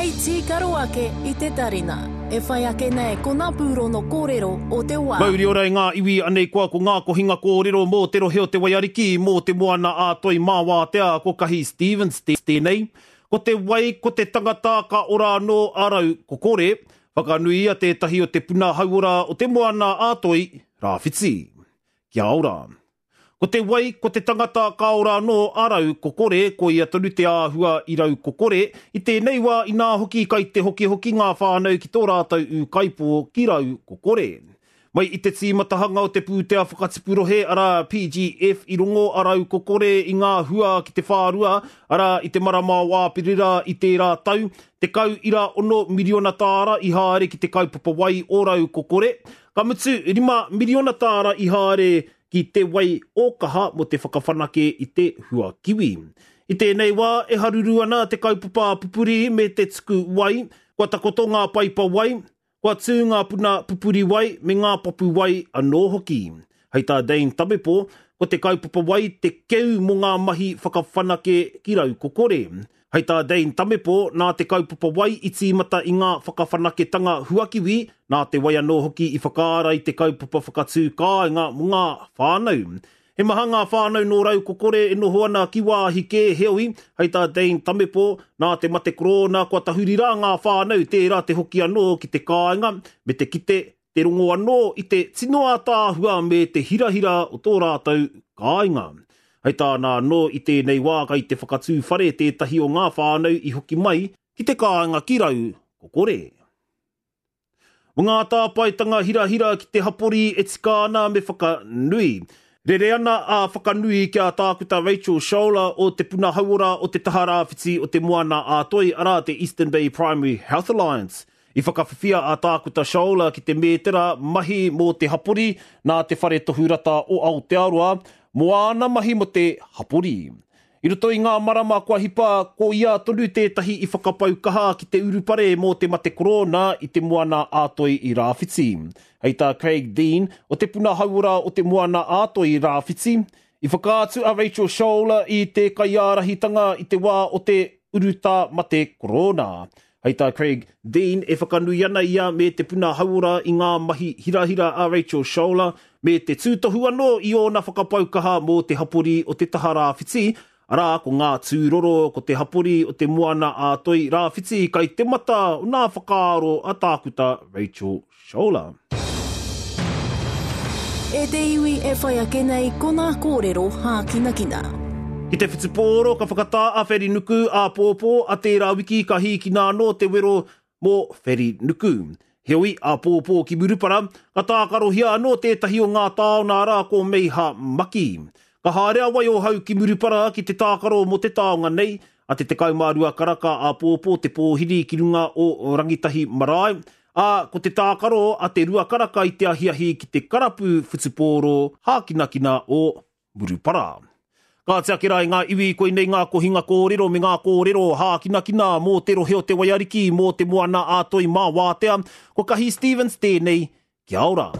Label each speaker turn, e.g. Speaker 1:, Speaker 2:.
Speaker 1: Hei tīkaro ake i te tarina. E whai ake nei ko ngā pūrono kōrero o te wā.
Speaker 2: Mauri ora i ngā iwi, anei koa ko ngā kohinga kōrero mō te rohe o Te Waiariki, mō te moana ā Toi Māwātea, ko Kahi Stevens tēnei. Ko te wai, ko te tangata, ka ora anō a rau, ko kore. Whakanuia tētahi o te puna hauora o te moana ā Toi Rāwhiti. Kia ora. Ko te wai, ko te tangata, ka ora anō a rau kokore, koia tonu te āhua i rau kokore, i tēnei wā inā hoki kai te hokihoki ngā whānau ki tō rātou ūkaipō ki rau kokore. Mai i te tīmatahanga o te pūtea whakatipu rohe, arā, PGF, i rongo a rau kokore i ngā hua ki te whārua, arā, i te marama o Āperira i tērā tau, 10.6 miriona tāra i haere ki te kaupapa wai o rau kokore, ka mutu, 5 miriona tāra i haere ki te wai ōkaha mō te whakawhanake i te huakiwi. I tēnei wā, e haruru ana te kaupapa pupuri me te tuku wai, kua takoto ngā paipa wai, kua tū ngā puna pupuri wai me ngā papu wai anō hoki. Hei tā Dane Tamepo, ko te kaupapa wai te keu mō ngā mahi whakawhanake ki Raukokore. Hei tā Dane Tamepo, nā te kaupapa wai i tīmata i ngā whakawhanaketanga huakiwi, nā te wai anō hoki i whakaara i te kaupapa whakatū kāinga mō ngā whānau. He maha ngā whānau nō Raukokore e noho ana ki wāhi kē, heoi, hei tā Dane Tamepo, nā te mate korōna kua tahuri rā ngā whānau tērā te hoki anō ki te kāinga me te kite te rongo anō i te tino ātaahua me te hirahira o tō rātou kāinga. Hei tāna anō, i tēnei wā kai te whakatū whare tētahi o ngā whānau i hoki mai ki te kāinga ki Rau Kokore. Mō ngā tāpaetanga hirahira ki te hapori e tika ana me whakanui. Rere ana a Whakanui ki a Tākuta Rachel Scholer o Te Puna Hauora o te Taha Rāwhiti o Te Moana-a-Toi, arā te Eastern Bay Primary Health Alliance. I whakawhiwhia a Tākuta Scholer ki te mētera mahi mō te hapori nā Te Whare Tohu Rata o Aotearoa mō āna mahi mō te hapori. I roto i ngā marama kua hipa, ko ia tonu tētahi i whakapau kaha ki te urupare mō te mate korōna i Te Moana a Toi i Rāwhiti. Hei tā Craig Dean, o Te Puna Hauora o Te Moana a Toi i Rāwhiti, i whakaatu a Rachel Scholer i te kaiārahitanga i te wā o te urutā mate korōna. Hei tā Craig Dean, e whakanui ana ia me te puna hauora i ngā mahi hirahira a Rachel Scholer, me te tūtohu anō i ōna whakapau kaha mō te hapori o te taha rāwhiti, arā, ko ngā tūroro, ko te hapori o te Moana a Toi Rāwhiti kai te mata o nā whakaaro a Tākuta Rachel Scholer.
Speaker 1: E te iwi e whai ake nei ko ngā kōrero hākinakina.
Speaker 2: Ki te whutupōro ka whakatā a Wherinuku āpōpō, a tērā wiki ka hīkina anō te wero mō Wherinuku. Heoi, āpōpō ki Murupara, ka tākarohia anō tētahi o ngā taona arā ko Meiha Maki. Ka haere a Waiohau ki Murupara ki te tākaro mō te taonga nei, a te 12 karaka āpōpō te pōhiri ki runga o Rangitahi Marae, ā, ko te tākaro a te rua karaka i te ahiahi ki te karapu whutupōro hākinakina o Murupara. Kāti ake rā i ngā iwi, koinei ngā kohinga kōrero me ngā kōrero hākinakina mō te rohe o Te Waiariki, mō Te Moana-a-Toi mā Wātea. Ko Kahi Stevens tēnei, kia ora.